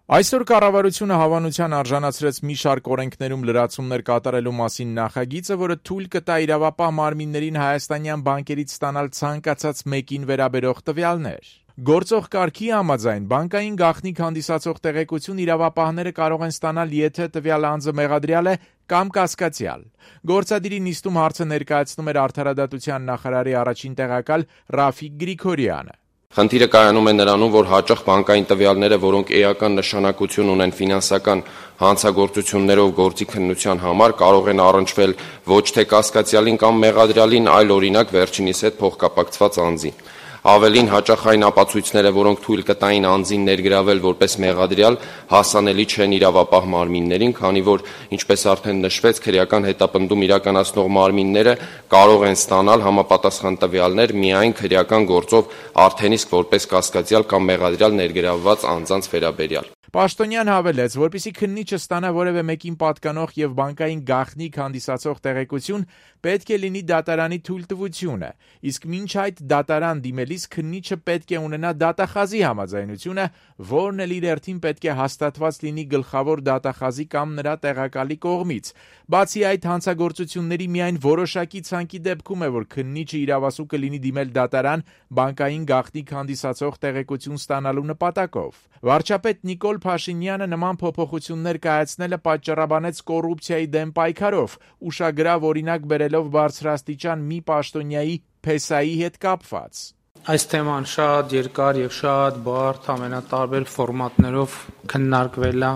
Այսօր կառավարությունը հավանության արժանացրեց մի շարք օրենքներում լրացումներ կատարելու մասին նախագիծը, որը թույլ կտա իրավապահ մարմիններին հայաստանյան բանկերից ստանալ ցանկացած մեկին վերաբերող տվյալներ։ Գործող կարգի համաձայն բանկային գաղտնիք հանդիսացող տեղեկություն իրավապահները կարող են ստանալ, եթե տվյալ անձը մեղադրյալ է կամ կասկածյալ։ Գործադիրի նիստում հարցը ներկայացնում էր Արդարադատության նախարարի առաջին տեղակալ Ռաֆիկ Գրիգորյանը։ Խնդիրը կայանում է նրանում, որ հաճախ բանկային տվյալները, որոնք էական նշանակություն ունեն ֆինանսական հանցագործություններով գործի քննության համար, կարող են առնչվել ոչ թե կասկածյալին կամ մեղադրյալին, այլ օրինակ վերջինիս հետ փոխկապակցված անձին։ Ավելին, հաճախ այն ապացույցները, որոնք թույլ կտային անձին ներգրավել որպես մեղադրյալ, հասանելի չեն իրավապահ մարմիններին, քանի որ, ինչպես արդեն նշվեց, քրեական հետապնդում իրականացնող մարմինները կարող են ստանալ համապատասխան տվյալներ միայն քրեական գործով արդեն իսկ որպես կասկածյալ կամ մեղադրյալ ներգրավված անձանց վերաբերյալ։ Պաշտոնյան հավելեց, որպեսզի քննիչը ստանա որևէ մեկին պատկանող եւ բանկային գաղտնիք հանդիսացող տեղեկություն, պետք է լինի դատարանի թույլտվությունը, իսկ մինչ այդ դատարան դիմելիս քննիչը պետք է ունենա դատախազի համաձայնությունը, որն էլ իր հերթին պետք է հաստատված լինի գլխավոր դատախազի կամ նրա տեղակալի կողմից։ Բացի այդ, հանցագործությունների միայն որոշակի ցանկի դեպքում է, որ քննիչը իրավասու կլինի դիմել դատարան բանկային գաղտնիք հանդիսացող տեղեկություն ստանալու նպատակով։ Վարչապետ Նիկոլ Փաշինյանը նման փոփոխություններ կայացնելը պատճառաբանեց կոռուպցիայի դեմ պայքարով, ուշագրավ օրինակ բերելով բարձրաստիճան մի պաշտոնյայի փեսայի հետ կապված։ Այս թեման շատ երկար եւ շատ բարդ ամենատարբեր ֆորմատներով քննարկվել է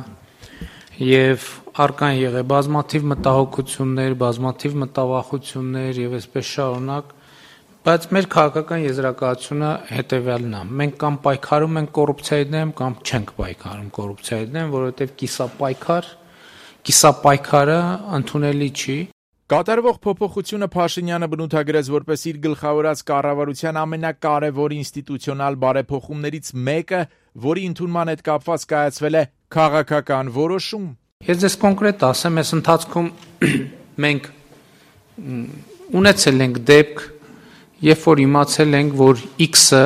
եւ առկան եղել բազմաթիվ մտահոգություններ, բազմաթիվ մտավախություններ եւ այսպես շարունակ, բայց մեր քաղաքական եզրակացությունը հետեւյալն է. մենք կամ պայքարում ենք կոռուպցիայի դեմ, կամ չենք պայքարում կոռուպցիայի դեմ, որովհետեւ կիսապայքարը ընդունելի չի։ Կատարվող փոփոխությունը Փաշինյանը բնութագրեց որպես իր գլխավորած կառավարության ամենակարևոր ինստիտուցիոնալ բարեփոխումներից մեկը, որի ընդունման հետ կապված կայացվել է քաղաքական որոշում։ Ես ձեզ կոնկրետ ասեմ, այս ընթացքում մենք ունեցել ենք դեպք, երբ որ իմացել ենք, որ X-ը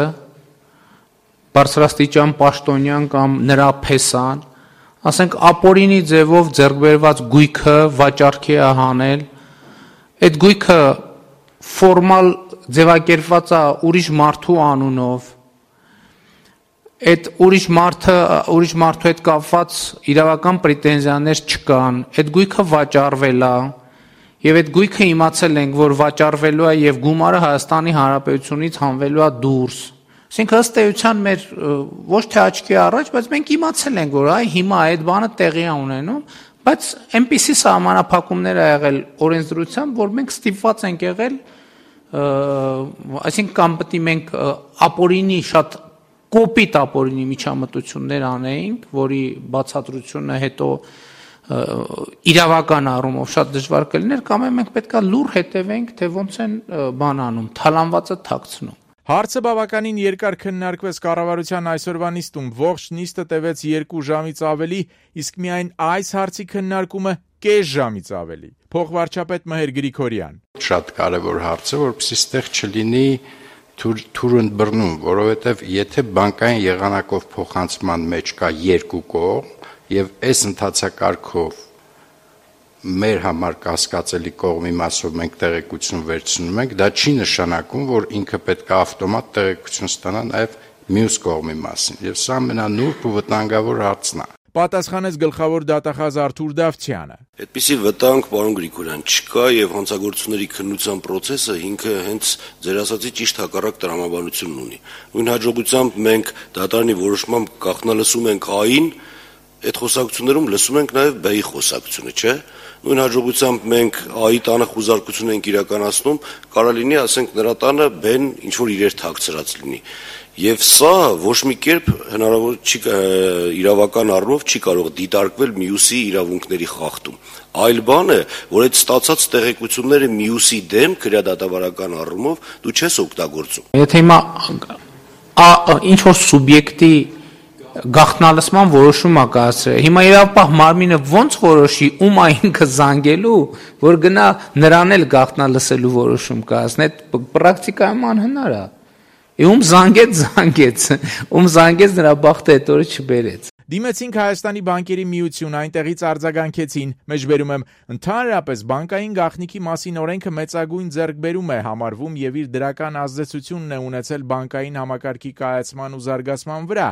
բարձրաստիճան պաշտոնյան կամ նրա փեսան, ասենք ապօրինի ձևով ձեռքբերված գույքը վաճառքի է հանել, այդ գույքը ֆորմալ ձևակերպված է ուրիշ մարդու անունով, այդ ուրիշ մարդու հետ կապված իրավական պրետենզիաներ չկան, այդ գույքը վաճառվել է, եւ այդ գույքը իմացել ենք, որ վաճառվելու է եւ գումարը Հայաստանի Հանրապետությունից հանվելու է դուրս։ Այսինքն ըստ էության մեր ոչ թե աչքի առաջ, բայց մենք իմացել ենք, որ հիմա այդ բանը տեղի է ունենում, բայց այնպիսի սահմանափակումներ ա եղել օրենսդրությամբ, որ մենք ստիպված ենք եղել, այսինքն կամ պետք է մենք ապօրինի շատ կոպիտ ապօրինի միջամտություններ անեինք, որի բացատրությունը հետո իրավական առումով շատ դժվար կլիներ, կամ մենք պետք է լուր հետևենք, թե ոնց են բան անում, թալանվածը թաքցնում։ Հարցը բավականին երկար քննարկվեց կառավարության այսօրվա նիստում, ողջ նիստը տևեց 2 ժամից ավելի, իսկ միայն այս հարցի քննարկումը կես ժամից ավելի։ Փոխվարչապետ Մհեր Գրիգորյան։ Շատ կարևոր հարց է, որպեսզի ստեղ չլինի թուրընդբռնում, որովհետև եթե բանկային եղանակով փոխանցման մեջ կա 2 կողմ, եւ այս ընթացակարգով մեր համար կասկածելի կողմի մասով մենք տեղեկություն վերցնում ենք, դա չի նշանակում, որ ինքը պետք է ավտոմատ տեղեկություն ստանա նաեւ մյուս կողմի մասին, եւ սա ամենանուրբ ու վտանգավոր հարցն է։ Պատասխանեց գլխավոր դատախազ Արթուր Դավթյանը։ Այդպիսի վտանգ, պարոն Գրիգորյան, չկա եւ հանցագործությունների քննության process-ը ինքը հենց ձեր ասացի ճիշտ հակառակ տրամաբանությունն ունի։ Նույն հաջողությամբ մենք դատարանի որոշմամբ գաղտնալսում ենք A-ին, այդ խոսակցություններում լսում ենք նաև B-ի խոսակցությունը, չէ՞։ Նույն հաջողությամբ մենք A-ի տանը խուզարկություն ենք իրականացնում, կարա լինի, ասենք, նրա տանը B-ն ինչ որ իրեր թաքցրած լինի։ Եվ սա ոչ մի կերպ հնարավոր չի իրավական առումով չի կարող դիտարկվել մյուսի իրավունքների խախտում։ Այլ բան է, որ այդ ստացած տեղեկությունները մյուսի դեմ քրեադատավարական առումով դու չես օգտագործում։ Եթե հիմա ինչ որ սուբյեկտի գաղտնալսման որոշում ա կայացրել։ Հիմա իրավապահ մարմինը ոնց որոշի ում ա ինքը զանգելու, որ գնա նրան էլ գաղտնալսելու որոշում կայացնի։ Այդ պրակտիկայում անհնար է։ Ում զանգեց, ում զանգեց նրա բախտը այդ օրը չբերեց։ Դիմեցինք Հայաստանի բանկերի միություն, այնտեղից արձագանքեցին, մեջբերում եմ, ընդհանրապես բանկային գաղտնիքի մասին օրենքը մեծագույն ձեռքբերում է համարվում եւ իր դրական ազդեցությունն է ունեցել բանկային համակարգի կայացման ու զարգացման վրա։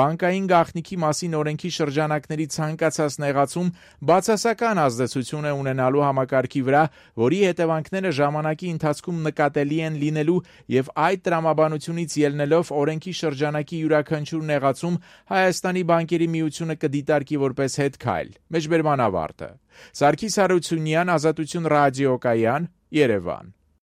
Բանկային գաղտնիքի մասին օրենքի շրջանակների ցանկացած նեղացում բացասական ազդեցություն է ունենալու համակարգի վրա, որի հետևանքները ժամանակի ընթացքում նկատելի են լինելու եւ այդ տրամաբանությունից ելնելով օրենքի շրջանակի յուրաքանչյուր նեղացում Հայաստանի բանկերի միությունը կդիտարկի որպես հետքայլ։ Մեջբերման ավարտը։ Սարգիս Հարությունյան, Ազատություն ռադիոկայան, Երևան։